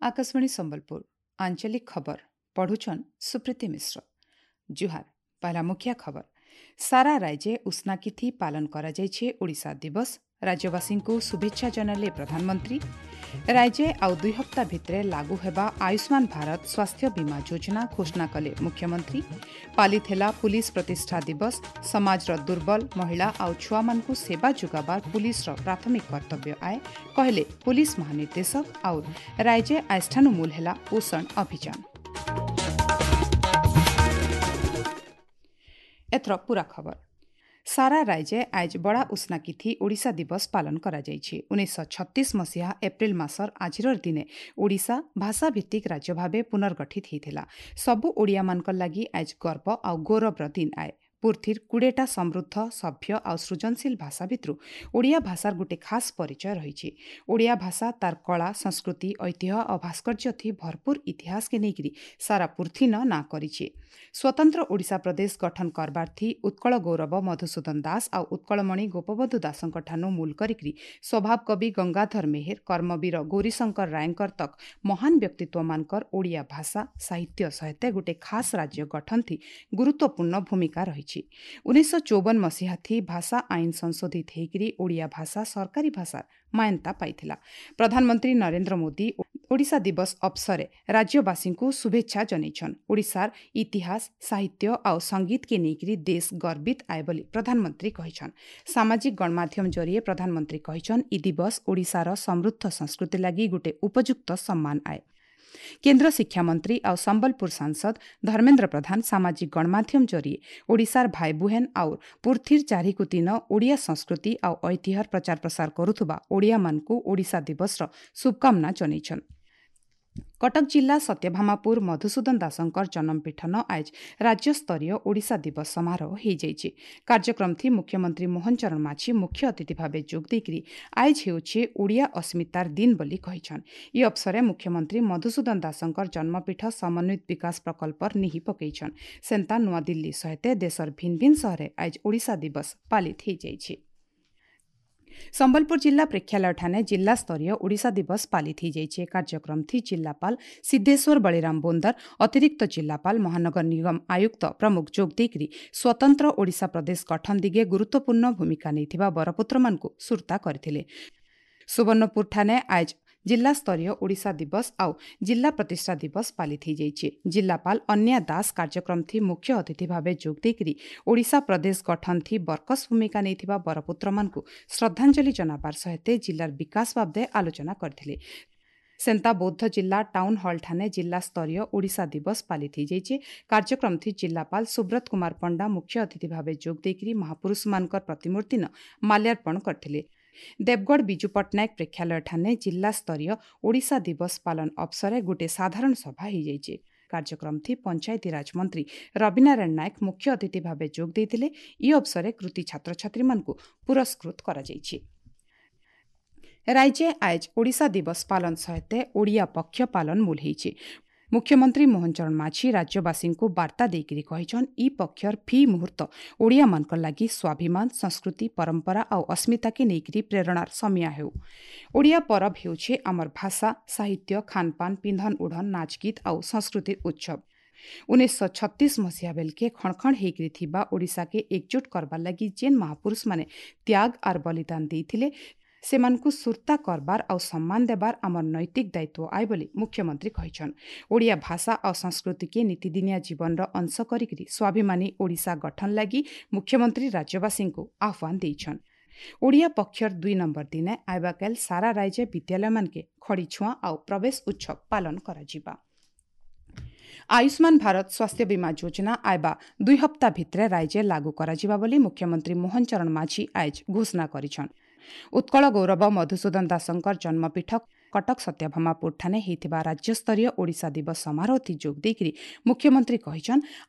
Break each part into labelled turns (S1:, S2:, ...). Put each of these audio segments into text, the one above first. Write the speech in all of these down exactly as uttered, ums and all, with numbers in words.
S1: ଆକାଶବାଣୀ ସମ୍ବଲପୁର ଆଞ୍ଚଳିକ ଖବର ପଢୁଛନ୍ ସୁପ୍ରୀତି ମିଶ୍ର ଜୁହାର ପହଲା ମୁଖ୍ୟ ଖବର ସାରା ରାଜ୍ୟେ ଉଷ୍ଣାକିଥି ପାଳନ କରାଯାଇଛି ଓଡ଼ିଶା ଦିବସ ରାଜ୍ୟବାସୀଙ୍କୁ ଶୁଭେଚ୍ଛା ଜଣାଇଲେ ପ୍ରଧାନମନ୍ତ୍ରୀ ରାଜ୍ୟ ଆଉ ଦୁଇ ହପ୍ତା ଭିତରେ ଲାଗୁ ହେବା ଆୟୁଷ୍ମାନ ଭାରତ ସ୍ୱାସ୍ଥ୍ୟ ବୀମା ଯୋଜନା ଘୋଷଣା କଲେ ମୁଖ୍ୟମନ୍ତ୍ରୀ ପାଳିତ ହେଲା ପୁଲିସ ପ୍ରତିଷ୍ଠା ଦିବସ ସମାଜର ଦୁର୍ବଳ ମହିଳା ଆଉ ଛୁଆମାନଙ୍କୁ ସେବା ଯୋଗାବାର ପୁଲିସର ପ୍ରାଥମିକ କର୍ତ୍ତବ୍ୟ ଆଏ କହିଲେ ପୁଲିସ ମହାନିର୍ଦ୍ଦେଶକ ଆଉ ରାଜ୍ୟ ଆଇଷ୍ଠାନୁ ମୂଲ ହେଲା ପୋଷଣ ଅଭିଯାନ ଏଥର ପୂରା ଖବର ସାରା ରାଜ୍ୟ ଆଜ ବଡ଼ା ଉଷ୍ଣାକିଥି ଓଡ଼ିଶା ଦିବସ ପାଳନ କରାଯାଇଛି ଉଣେଇଶହ ଛତିଶ ମସିହା ଏପ୍ରିଲ ମାସର ଆଜିର ଦିନେ ଓଡ଼ିଶା ଭାଷାଭିତ୍ତିକ ରାଜ୍ୟ ଭାବେ ପୁନର୍ଗଠିତ ହୋଇଥିଲା ସବୁ ଓଡ଼ିଆମାନଙ୍କର ଲାଗି ଆଜ ଗର୍ବ ଆଉ ଗୌରବର ଦିନ ଆଏ ପୃଥିବୀର କୁଡ଼େଟା ସମୃଦ୍ଧ ସଭ୍ୟ ଆଉ ସୃଜନଶୀଳ ଭାଷା ଭିତରୁ ଓଡ଼ିଆ ଭାଷାର ଗୋଟେ ଖାସ୍ ପରିଚୟ ରହିଛି ଓଡ଼ିଆ ଭାଷା ତାର କଳା ସଂସ୍କୃତି ଐତିହ୍ୟ ଆଉ ଭାସ୍କର୍ଯ୍ୟ ଥି ଭରପୁର ଇତିହାସକେ ନେଇକରି ସାରା ପୃଥିବୀନ ନାଁ କରିଛି ସ୍ୱତନ୍ତ୍ର ଓଡ଼ିଶା ପ୍ରଦେଶ ଗଠନ କରବାର ଥି ଉତ୍କଳ ଗୌରବ ମଧୁସୂଦନ ଦାସ ଆଉ ଉତ୍କଳମଣି ଗୋପବନ୍ଧୁ ଦାସଙ୍କ ଠାନୁ ମୂଲ କରିକରି ସ୍ୱଭାବ କବି ଗଙ୍ଗାଧର ମେହେର କର୍ମବୀର ଗୌରୀଶଙ୍କର ରାୟଙ୍କର ତକ୍ ମହାନ ବ୍ୟକ୍ତିତ୍ୱମାନଙ୍କର ଓଡ଼ିଆ ଭାଷା ସାହିତ୍ୟ ସହିତ ଗୋଟେ ଖାସ୍ ରାଜ୍ୟ ଗଠନ ଥି ଗୁରୁତ୍ୱପୂର୍ଣ୍ଣ ଭୂମିକା ରହିଛି ଉଣେଇଶହ ଚଉବନ ମସିହା ଥି ଭାଷା ଆଇନ ସଂଶୋଧିତ ହେଇକରି ଓଡ଼ିଆ ଭାଷା ସରକାରୀ ଭାଷାର ମାନ୍ୟତା ପାଇଥିଲା ପ୍ରଧାନମନ୍ତ୍ରୀ ନରେନ୍ଦ୍ର ମୋଦି ଓଡ଼ିଶା ଦିବସ ଅବସରେ ରାଜ୍ୟବାସୀଙ୍କୁ ଶୁଭେଚ୍ଛା ଜଣାଇଛନ୍ ଓଡ଼ିଶାର ଇତିହାସ ସାହିତ୍ୟ ଆଉ ସଙ୍ଗୀତକେ ନେଇକରି ଦେଶ ଗର୍ବିତ ଆଏ ବୋଲି ପ୍ରଧାନମନ୍ତ୍ରୀ କହିଛନ୍ ସାମାଜିକ ଗଣମାଧ୍ୟମ ଜରିଏ ପ୍ରଧାନମନ୍ତ୍ରୀ କହିଛନ୍ ଇ ଦିବସ ଓଡ଼ିଶାର ସମୃଦ୍ଧ ସଂସ୍କୃତି ଲାଗି ଗୋଟେ ଉପଯୁକ୍ତ ସମ୍ମାନ ଆଏ କେନ୍ଦ୍ର ଶିକ୍ଷାମନ୍ତ୍ରୀ ଆଉ ସମ୍ବଲପୁର ସାଂସଦ ଧର୍ମେନ୍ଦ୍ର ପ୍ରଧାନ ସାମାଜିକ ଗଣମାଧ୍ୟମ ଜରିଏ ଓଡ଼ିଶାର ଭାଇ ବୁହେନ ଆଉ ପୃଥିବୀର ଚାରିକୁ ତିନ ଓଡ଼ିଆ ସଂସ୍କୃତି ଆଉ ଐତିହ୍ୟର ପ୍ରଚାର ପ୍ରସାର କରୁଥିବା ଓଡ଼ିଆମାନଙ୍କୁ ଓଡ଼ିଶା ଦିବସର ଶୁଭକାମନା ଜଣାଇଛନ୍ କଟକ ଜିଲ୍ଲା ସତ୍ୟଭାମାପୁର ମଧୁସୂଦନ ଦାସଙ୍କର ଜନ୍ମପୀଠନ ଆଜ ରାଜ୍ୟସ୍ତରୀୟ ଓଡ଼ିଶା ଦିବସ ସମାରୋହ ହୋଇଯାଇଛି କାର୍ଯ୍ୟକ୍ରମ ଥି ମୁଖ୍ୟମନ୍ତ୍ରୀ ମୋହନ ଚରଣ ମାଝୀ ମୁଖ୍ୟ ଅତିଥି ଭାବେ ଯୋଗ ଦେଇକରି ଆଇଜ ହେଉଛି ଓଡ଼ିଆ ଅସ୍ମିତାର ଦିନ ବୋଲି କହିଛନ୍ ଇ ଅବସରେ ମୁଖ୍ୟମନ୍ତ୍ରୀ ମଧୁସୂଦନ ଦାସଙ୍କର ଜନ୍ମପୀଠ ସମନ୍ୱିତ ବିକାଶ ପ୍ରକଳ୍ପର ନିହି ପକାଇଛନ୍ ସେନ୍ତା ନୂଆଦିଲ୍ଲୀ ସହିତ ଦେଶର ଭିନ୍ନ ଭିନ୍ନ ସହରରେ ଆଜ ଓଡ଼ିଶା ଦିବସ ପାଳିତ ହୋଇଯାଇଛି ସମ୍ବଲପୁର ଜିଲ୍ଲା ପ୍ରେକ୍ଷାଳୟଠାରେ ଜିଲ୍ଲାସ୍ତରୀୟ ଓଡ଼ିଶା ଦିବସ ପାଳିତ ହୋଇଯାଇଛି କାର୍ଯ୍ୟକ୍ରମ ଥି ଜିଲ୍ଲାପାଳ ସିଦ୍ଧେଶ୍ୱର ବଳିରାମ ବୋନ୍ଦର ଅତିରିକ୍ତ ଜିଲ୍ଲାପାଳ ମହାନଗର ନିଗମ ଆୟୁକ୍ତ ପ୍ରମୁଖ ଯୋଗ ଦେଇକରି ସ୍ୱତନ୍ତ୍ର ଓଡ଼ିଶା ପ୍ରଦେଶ ଗଠନ ଦିଗେ ଗୁରୁତ୍ୱପୂର୍ଣ୍ଣ ଭୂମିକା ନେଇଥିବା ବରପୁତ୍ରମାନଙ୍କୁ ସୁର୍ତ୍ତା କରିଥିଲେ ସୁବର୍ଣ୍ଣପୁରଠାରେ ଆଜ ଜିଲ୍ଲାସ୍ତରୀୟ ଓଡ଼ିଶା ଦିବସ ଆଉ ଜିଲ୍ଲା ପ୍ରତିଷ୍ଠା ଦିବସ ପାଳିତ ହୋଇଯାଇଛି ଜିଲ୍ଲାପାଳ ଅନ୍ୟା ଦାସ କାର୍ଯ୍ୟକ୍ରମ ଥି ମୁଖ୍ୟ ଅତିଥି ଭାବେ ଯୋଗ ଦେଇକରି ଓଡ଼ିଶା ପ୍ରଦେଶ ଗଠନ ଥି ବରକସ ଭୂମିକା ନେଇଥିବା ବରପୁତ୍ରମାନଙ୍କୁ ଶ୍ରଦ୍ଧାଞ୍ଜଳି ଜଣାବାର ସହିତ ଜିଲ୍ଲାର ବିକାଶ ବାବଦେ ଆଲୋଚନା କରିଥିଲେ ସେନ୍ତା ବୌଦ୍ଧ ଜିଲ୍ଲା ଟାଉନ୍ ହଲ୍ଠାରେ ଜିଲ୍ଲାସ୍ତରୀୟ ଓଡ଼ିଶା ଦିବସ ପାଳିତ ହୋଇଯାଇଛି କାର୍ଯ୍ୟକ୍ରମ ଥି ଜିଲ୍ଲାପାଳ ସୁବ୍ରତ କୁମାର ପଣ୍ଡା ମୁଖ୍ୟ ଅତିଥି ଭାବେ ଯୋଗ ଦେଇକରି ମହାପୁରୁଷମାନଙ୍କର ପ୍ରତିମୂର୍ତ୍ତିନ ମାଲ୍ୟାର୍ପଣ କରିଥିଲେ ଦେବଗଡ଼ ବିଜୁ ପଟ୍ଟନାୟକ ପ୍ରେକ୍ଷାଳୟଠାରେ ଜିଲ୍ଲାସ୍ତରୀୟ ଓଡ଼ିଶା ଦିବସ ପାଳନ ଅବସରେ ଗୋଟିଏ ସାଧାରଣ ସଭା ହୋଇଯାଇଛି କାର୍ଯ୍ୟକ୍ରମ ଥି ପଞ୍ଚାୟତିରାଜ ମନ୍ତ୍ରୀ ରବିନାରାୟଣ ନାୟକ ମୁଖ୍ୟ ଅତିଥି ଭାବେ ଯୋଗ ଦେଇଥିଲେ ଇ ଅବସରେ କୃତି ଛାତ୍ରଛାତ୍ରୀମାନଙ୍କୁ ପୁରସ୍କୃତ କରାଯାଇଛି ରାଜ୍ୟ ଆଜ ଓଡ଼ିଶା ଦିବସ ପାଳନ ସହିତ ଓଡ଼ିଆ ପକ୍ଷ ପାଳନ ମୂଲ ହୋଇଛି ମୁଖ୍ୟମନ୍ତ୍ରୀ ମୋହନ ଚରଣ ମାଝୀ ରାଜ୍ୟବାସୀଙ୍କୁ ବାର୍ତ୍ତା ଦେଇକରି କହିଛନ୍ ଇ ପକ୍ଷର ଫି ମୁହୂର୍ତ୍ତ ଓଡ଼ିଆମାନଙ୍କର ଲାଗି ସ୍ୱାଭିମାନ ସଂସ୍କୃତି ପରମ୍ପରା ଆଉ ଅସ୍ମିତାକେ ନେଇକରି ପ୍ରେରଣାର ସମିଆ ହେଉ ଓଡ଼ିଆ ପରବ ହେଉଛି ଆମର ଭାଷା ସାହିତ୍ୟ ଖାନପାନ ପିନ୍ଧନ ଉଢ଼ନ ନାଚଗୀତ ଆଉ ସଂସ୍କୃତିର ଉତ୍ସବ ଉଣେଇଶହ ଛତିଶ ମସିହା ବେଲକେ ଖଣଖଣ ହେଇକରି ଥିବା ଓଡ଼ିଶାକେ ଏକଜୁଟ କରବାର୍ ଲାଗି ଯେନ୍ ମହାପୁରୁଷମାନେ ତ୍ୟାଗ ଆର୍ ବଳିଦାନ ଦେଇଥିଲେ ସେମାନଙ୍କୁ ସୁର୍ତ୍ତା କରବାର ଆଉ ସମ୍ମାନ ଦେବାର ଆମର ନୈତିକ ଦାୟିତ୍ୱ ଆଏ ବୋଲି ମୁଖ୍ୟମନ୍ତ୍ରୀ କହିଛନ୍ ଓଡ଼ିଆ ଭାଷା ଆଉ ସଂସ୍କୃତିକେ ନୀତିଦିନିଆ ଜୀବନର ଅଂଶ କରିକିରି ସ୍ୱାଭିମାନୀ ଓଡ଼ିଶା ଗଠନ ଲାଗି ମୁଖ୍ୟମନ୍ତ୍ରୀ ରାଜ୍ୟବାସୀଙ୍କୁ ଆହ୍ୱାନ ଦେଇଛନ୍ ଓଡ଼ିଆ ପକ୍ଷର ଦୁଇ ନମ୍ବର ଦିନେ ଆଇବାକାଲ ସାରା ରାଜ୍ୟ ବିଦ୍ୟାଳୟମାନକେ ଖଡ଼ିଛୁଆଁ ଆଉ ପ୍ରବେଶ ଉତ୍ସବ ପାଳନ କରାଯିବା ଆୟୁଷ୍ମାନ ଭାରତ ସ୍ୱାସ୍ଥ୍ୟ ବୀମା ଯୋଜନା ଆଇବା ଦୁଇ ହପ୍ତା ଭିତରେ ରାଜ୍ୟ ଲାଗୁ କରାଯିବା ବୋଲି ମୁଖ୍ୟମନ୍ତ୍ରୀ ମୋହନ ଚରଣ ମାଝୀ ଆଜ ଘୋଷଣା କରିଛନ୍ ଉତ୍କଳ ଗୌରବ ମଧୁସୂଦନ ଦାସଙ୍କର ଜନ୍ମପୀଠ କଟକ ସତ୍ୟଭାମାପୁରଠାରେ ହୋଇଥିବା ରାଜ୍ୟସ୍ତରୀୟ ଓଡ଼ିଶା ଦିବସ ସମାରୋହଥି ଯୋଗ ଦେଇକରି ମୁଖ୍ୟମନ୍ତ୍ରୀ କହିଛନ୍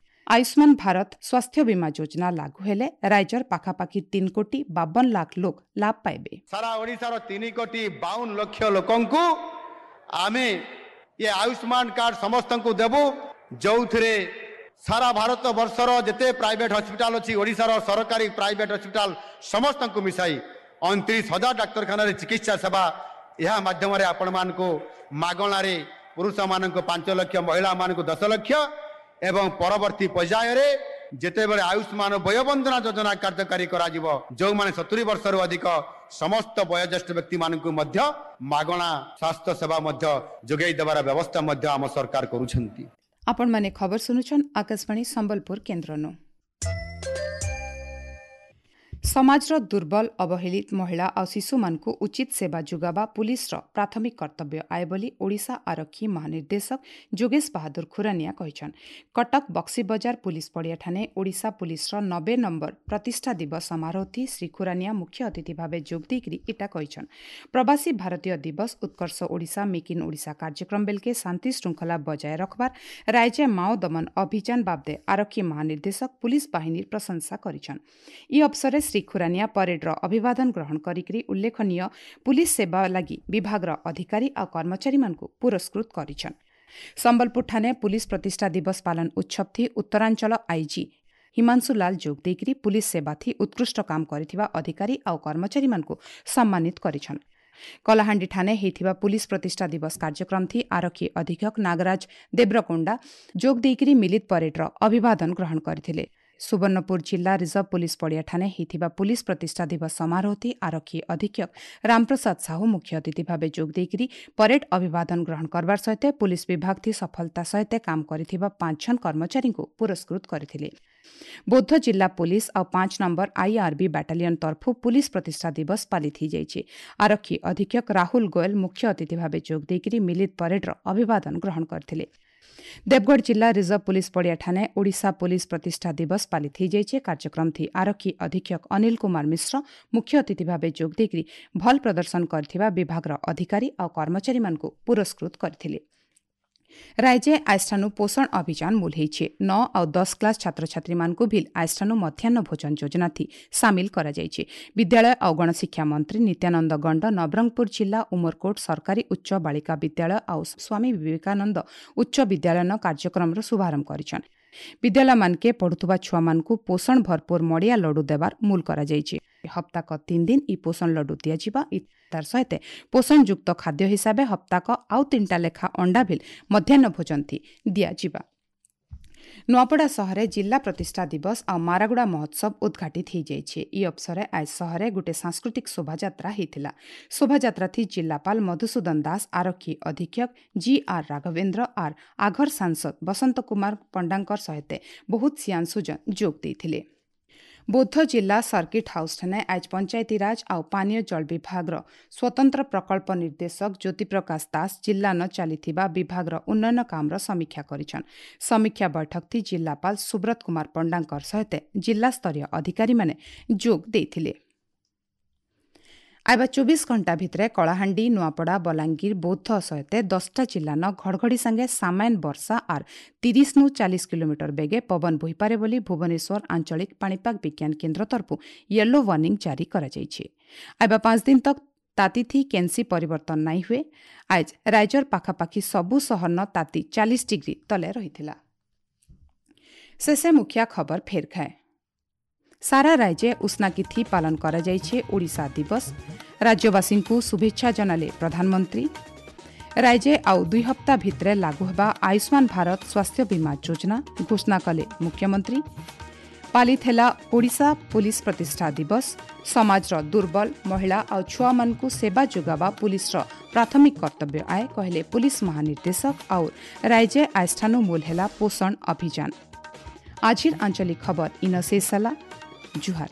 S1: ଆୟୁଷ୍ମାନ ଭାରତ ସ୍ୱାସ୍ଥ୍ୟ ବୀମା ଯୋଜନା ଲାଗୁ ହେଲେ ରାଜ୍ୟର ପାଖାପାଖି ତିନି କୋଟି ବାବନ ଲାଖ ଲୋକ ଲାଭ ପାଇବେ
S2: ସାରା ଓଡ଼ିଶାର ତିନି କୋଟି ବାଉନ ଲକ୍ଷ ଲୋକଙ୍କୁ ଆମେ ଏ ଆୟୁଷ୍ମାନ କାର୍ଡ ସମସ୍ତଙ୍କୁ ଦେବୁ ଯେଉଁଥିରେ ସାରା ଭାରତ ବର୍ଷର ଯେତେ ପ୍ରାଇଭେଟ ହସ୍ପିଟାଲ ଅଛି ଓଡ଼ିଶାର ସରକାରୀ ପ୍ରାଇଭେଟ ହସ୍ପିଟାଲ ସମସ୍ତଙ୍କୁ ମିଶାଇ ଅଣତିରିଶ ହଜାର ଡାକ୍ତରଖାନାରେ ଚିକିତ୍ସା ସେବା ଏହା ମାଧ୍ୟମରେ ଆପଣମାନଙ୍କୁ ମାଗଣାରେ ପୁରୁଷମାନଙ୍କୁ ପାଞ୍ଚ ଲକ୍ଷ, ମହିଳାମାନଙ୍କୁ ଦଶ ଲକ୍ଷ ଏବଂ ପରବର୍ତ୍ତୀ ପର୍ଯ୍ୟାୟରେ ଯେତେବେଳେ ଆୟୁଷ୍ମାନ ବୟୋବନ୍ଦନା ଯୋଜନା କାର୍ଯ୍ୟକାରୀ କରାଯିବ, ଯେଉଁମାନେ ସତୁରି ବର୍ଷରୁ ଅଧିକ ସମସ୍ତ ବୟୋଜ୍ୟେଷ୍ଠ ବ୍ୟକ୍ତିମାନଙ୍କୁ ମଧ୍ୟ ମାଗଣା ସ୍ୱାସ୍ଥ୍ୟ ସେବା ମଧ୍ୟ ଯୋଗାଇ ଦେବାର ବ୍ୟବସ୍ଥା ମଧ୍ୟ ଆମ ସରକାର କରୁଛନ୍ତି।
S1: ଆପଣମାନେ ଖବର ଶୁଣୁଛନ୍ ଆକାଶବାଣୀ ସମ୍ବଲପୁର କେନ୍ଦ୍ରନୁ। ସମାଜର ଦୁର୍ବଳ, ଅବହେଳିତ ମହିଳା ଆଉ ଶିଶୁମାନଙ୍କୁ ଉଚିତ ସେବା ଯୋଗାବା ପୁଲିସର ପ୍ରାଥମିକ କର୍ତ୍ତବ୍ୟ ଆଏ ବୋଲି ଓଡ଼ିଶା ଆରକ୍ଷୀ ମହାନିର୍ଦ୍ଦେଶକ ଯୋଗେଶ ବାହାଦୁର ଖୁରାନିଆ କହିଛନ୍। କଟକ ବକ୍ସିବଜାର ପୁଲିସ ପଡ଼ିଆଠାନେ ଓଡ଼ିଶା ପୁଲିସର ନବେ ନମ୍ବର ପ୍ରତିଷ୍ଠା ଦିବସ ସମାରୋହଥି ଶ୍ରୀ ଖୁରାନିଆ ମୁଖ୍ୟ ଅତିଥି ଭାବେ ଯୋଗ ଦେଇକରି ଇଟା କହିଛନ୍। ପ୍ରବାସୀ ଭାରତୀୟ ଦିବସ, ଉତ୍କର୍ଷ ଓଡ଼ିଶା, ମେକ୍ ଇନ୍ ଓଡ଼ିଶା କାର୍ଯ୍ୟକ୍ରମ ବେଲକେ ଶାନ୍ତି ଶୃଙ୍ଖଳା ବଜାୟ ରଖବାର, ରାଜ୍ୟ ମାଓ ଦମନ ଅଭିଯାନ ବାବଦେ ଆରକ୍ଷୀ ମହାନିର୍ଦ୍ଦେଶକ ପୁଲିସ ବାହିନୀର ପ୍ରଶଂସା କରିଛନ୍। ଇ ଅବସରରେ ଶ୍ରୀ ଖୁରାନିଆ ପରେଡ୍ର ଅଭିବାଦନ ଗ୍ରହଣ କରିକରି ଉଲ୍ଲେଖନୀୟ ପୁଲିସ ସେବା ଲାଗି ବିଭାଗର ଅଧିକାରୀ ଆଉ କର୍ମଚାରୀମାନଙ୍କୁ ପୁରସ୍କୃତ କରିଛନ୍। ସମ୍ବଲପୁରଠାନେ ପୁଲିସ ପ୍ରତିଷ୍ଠା ଦିବସ ପାଳନ ଉତ୍ସବଥି ଉତ୍ତରାଞ୍ଚଳ ଆଇଜି ହିମାଂଶୁ ଲାଲ ଯୋଗ ଦେଇକରି ପୁଲିସ ସେବାଥି ଉତ୍କୃଷ୍ଟ କାମ କରିଥିବା ଅଧିକାରୀ ଆଉ କର୍ମଚାରୀମାନଙ୍କୁ ସମ୍ମାନିତ କରିଛନ୍। କଳାହାଣ୍ଡି ଠାନେ ହେଇଥିବା ପୁଲିସ ପ୍ରତିଷ୍ଠା ଦିବସ କାର୍ଯ୍ୟକ୍ରମଥି ଆରକ୍ଷୀ ଅଧୀକ୍ଷକ ନାଗରାଜ ଦେବ୍ରକୋଣ୍ଡା ଯୋଗ ଦେଇକରି ମିଳିତ ପରେଡ୍ର ଅଭିବାଦନ ଗ୍ରହଣ କରିଥିଲେ। ସୁବର୍ଣ୍ଣପୁର ଜିଲ୍ଲା ରିଜର୍ଭ ପୁଲିସ ପଡ଼ିଆଠାନେ ହେଇଥିବା ପୁଲିସ ପ୍ରତିଷ୍ଠା ଦିବସ ସମାରୋହଥି ଆରକ୍ଷୀ ଅଧୀକ୍ଷକ ରାମପ୍ରସାଦ ସାହୁ ମୁଖ୍ୟ ଅତିଥି ଭାବେ ଯୋଗ ଦେଇକରି ପରେଡ୍ ଅଭିବାଦନ ଗ୍ରହଣ କରବାର ସହିତ ପୁଲିସ ବିଭାଗଥି ସଫଳତା ସହିତ କାମ କରିଥିବା ପାଞ୍ଚ ଜଣ କର୍ମଚାରୀଙ୍କୁ ପୁରସ୍କୃତ କରିଥିଲେ। ବୌଦ୍ଧ ଜିଲ୍ଲା ପୁଲିସ ଆଉ ପାଞ୍ଚ ନମ୍ବର ଆଇଆର୍ବି ବାଟାଲିୟନ ତରଫୁ ପୁଲିସ ପ୍ରତିଷ୍ଠା ଦିବସ ପାଳିତ ହୋଇଯାଇଛି। ଆରକ୍ଷୀ ଅଧୀକ୍ଷକ ରାହୁଲ ଗୋୟଲ ମୁଖ୍ୟ ଅତିଥି ଭାବେ ଯୋଗ ଦେଇକରି ମିଳିତ ପରେଡ୍ର ଅଭିବାଦନ ଗ୍ରହଣ କରିଥିଲେ। ଦେବଗଡ଼ ଜିଲ୍ଲା ରିଜର୍ଭ ପୁଲିସ ପଡ଼ିଆଠାନେ ଓଡ଼ିଶା ପୁଲିସ ପ୍ରତିଷ୍ଠା ଦିବସ ପାଳିତ ହୋଇଯାଇଛି। କାର୍ଯ୍ୟକ୍ରମଥି ଆରକ୍ଷୀ ଅଧୀକ୍ଷକ ଅନିଲ କୁମାର ମିଶ୍ର ମୁଖ୍ୟ ଅତିଥି ଭାବେ ଯୋଗ ଦେଇକରି ଭଲ ପ୍ରଦର୍ଶନ କରିଥିବା ବିଭାଗର ଅଧିକାରୀ ଆଉ କର୍ମଚାରୀମାନଙ୍କୁ ପୁରସ୍କୃତ କରିଥିଲେ। ରାଜ୍ୟ ଆଇଷ୍ଠାନୁ ପୋଷଣ ଅଭିଯାନ ମୂଲ ହେଇଛି। ନଅ ଆଉ ଦଶ କ୍ଲାସ୍ ଛାତ୍ରଛାତ୍ରୀମାନଙ୍କୁ ଭିଲ୍ ଆଇଷ୍ଠାନୁ ମଧ୍ୟାହ୍ନ ଭୋଜନ ଯୋଜନାଥି ସାମିଲ କରାଯାଇଛି। ବିଦ୍ୟାଳୟ ଆଉ ଗଣଶିକ୍ଷା ମନ୍ତ୍ରୀ ନିତ୍ୟାନନ୍ଦ ଗଣ୍ଡ ନବରଙ୍ଗପୁର ଜିଲ୍ଲା ଉମରକୋଟ ସରକାରୀ ଉଚ୍ଚ ବାଳିକା ବିଦ୍ୟାଳୟ ଆଉ ସ୍ୱାମୀ ବିବେକାନନ୍ଦ ଉଚ୍ଚ ବିଦ୍ୟାଳୟନ କାର୍ଯ୍ୟକ୍ରମର ଶୁଭାରମ୍ଭ କରିଛନ୍। ବିଦ୍ୟାଳୟମାନକେ ପଢୁଥିବା ଛୁଆମାନଙ୍କୁ ପୋଷଣ ଭରପୁର ମଡ଼ିଆ ଲଡୁ ଦେବାର ମୂଲ କରାଯାଇଛି। ହପ୍ତାକ ତିନି ଦିନ ଇ ପୋଷଣ ଲଡୁ ଦିଆଯିବା। ତାର ସହିତ ପୋଷଣଯୁକ୍ତ ଖାଦ୍ୟ ହିସାବେ ହପ୍ତାକ ଆଉ ତିନିଟା ଲେଖା ଅଣ୍ଡା ଭିଲ୍ ମଧ୍ୟାହ୍ନ ଭୋଜନଥି ଦିଆଯିବା। ନୂଆପଡ଼ା ସହରେ ଜିଲ୍ଲା ପ୍ରତିଷ୍ଠା ଦିବସ ଆଉ ମାରାଗୁଡ଼ା ମହୋତ୍ସବ ଉଦ୍ଘାଟିତ ହୋଇଯାଇଛି। ଇ ଅବସରେ ଆଜ ସହରେ ଗୋଟେ ସାଂସ୍କୃତିକ ଶୋଭାଯାତ୍ରା ହେଇଥିଲା। ଶୋଭାଯାତ୍ରାଥି ଜିଲ୍ଲାପାଳ ମଧୁସୂଦନ ଦାସ, ଆରକ୍ଷୀ ଅଧୀକ୍ଷକ ଜି ଆର୍ ରାଘବେନ୍ଦ୍ର ଆର୍ ଆଘର ସାଂସଦ ବସନ୍ତ କୁମାର ପଣ୍ଡାଙ୍କର ସହିତ ବହୁତ ସିଆଂଶୁଜନ ଯୋଗ ଦେଇଥିଲେ। ବୌଦ୍ଧ ଜିଲ୍ଲା ସର୍କିଟ୍ ହାଉସ୍ଠାନେ ଆଜ ପଞ୍ଚାୟତିରାଜ ଆଉ ପାନୀୟ ଜଳ ବିଭାଗର ସ୍ୱତନ୍ତ୍ର ପ୍ରକଳ୍ପ ନିର୍ଦ୍ଦେଶକ ଜ୍ୟୋତିପ୍ରକାଶ ଦାସ ଜିଲ୍ଲାନ ଚାଲିଥିବା ବିଭାଗର ଉନ୍ନୟନ କାମର ସମୀକ୍ଷା କରିଛନ୍। ସମୀକ୍ଷା ବୈଠକଥି ଜିଲ୍ଲାପାଳ ସୁବ୍ରତ କୁମାର ପଣ୍ଡାଙ୍କର ସହିତ ଜିଲ୍ଲାସ୍ତରୀୟ ଅଧିକାରୀମାନେ ଯୋଗ ଦେଇଥିଲେ। ଆଇବା ଚବିଶ ଘଣ୍ଟା ଭିତରେ କଳାହାଣ୍ଡି, ନୂଆପଡ଼ା, ବଲାଙ୍ଗୀର, ବୌଦ୍ଧ ସହିତ ଦଶଟା ଜିଲ୍ଲାନ ଘଡ଼ଘଡ଼ି ସାଙ୍ଗେ ସାମାନ୍ୟ ବର୍ଷା ଆର୍ ତିରିଶରୁ ଚାଳିଶ କିଲୋମିଟର ବେଗେ ପବନ ବୋହିପାରେ ବୋଲି ଭୁବନେଶ୍ୱର ଆଞ୍ଚଳିକ ପାଣିପାଗ ବିଜ୍ଞାନ କେନ୍ଦ୍ର ତରଫରୁ ୟେଲୋ ୱାର୍ଣ୍ଣିଂ ଜାରି କରାଯାଇଛି। ଆଇବା ପାଞ୍ଚ ଦିନ ତକ୍ ତାତିଥି କେନ୍ସି ପରିବର୍ତ୍ତନ ନାଇଁ ହୁଏ। ଆଜ ରାଜ୍ୟର ପାଖାପାଖି ସବୁ ସହରନ ତାତି ଚାଳିଶ ଡିଗ୍ରୀ ତଲେ ରହିଥିଲା। ଶେଷେ ମୁଖିଆ ଖବର ଫେର ଖାଏ। ସାରା ରାଜ୍ୟ ଉଷ୍ଣାକିଥି ପାଳନ କରାଯାଇଛି ଓଡ଼ିଶା ଦିବସ। ରାଜ୍ୟବାସୀଙ୍କୁ ଶୁଭେଚ୍ଛା ଜଣାଲେ ପ୍ରଧାନମନ୍ତ୍ରୀ। ରାଜ୍ୟ ଆଉ ଦୁଇ ହପ୍ତା ଭିତରେ ଲାଗୁ ହେବା ଆୟୁଷ୍ମାନ ଭାରତ ସ୍ୱାସ୍ଥ୍ୟ ବୀମା ଯୋଜନା ଘୋଷଣା କଲେ ମୁଖ୍ୟମନ୍ତ୍ରୀ। ପାଳିତ ହେଲା ଓଡ଼ିଶା ପୁଲିସ ପ୍ରତିଷ୍ଠା ଦିବସ। ସମାଜର ଦୁର୍ବଳ, ମହିଳା ଆଉ ଛୁଆମାନଙ୍କୁ ସେବା ଯୋଗାବା ପୁଲିସର ପ୍ରାଥମିକ କର୍ତ୍ତବ୍ୟ ଆଏ କହିଲେ ପୁଲିସ ମହାନିର୍ଦ୍ଦେଶକ। ଆଉ ରାଜ୍ୟ ଆଇଷ୍ଠାନୁ ମୂଲ ହେଲା ପୋଷଣ ଅଭିଯାନ। ଆଜିର ଆଞ୍ଚଳିକ ଖବର ଇନ ଶେଷ ହେଲା। ଜୁହାର।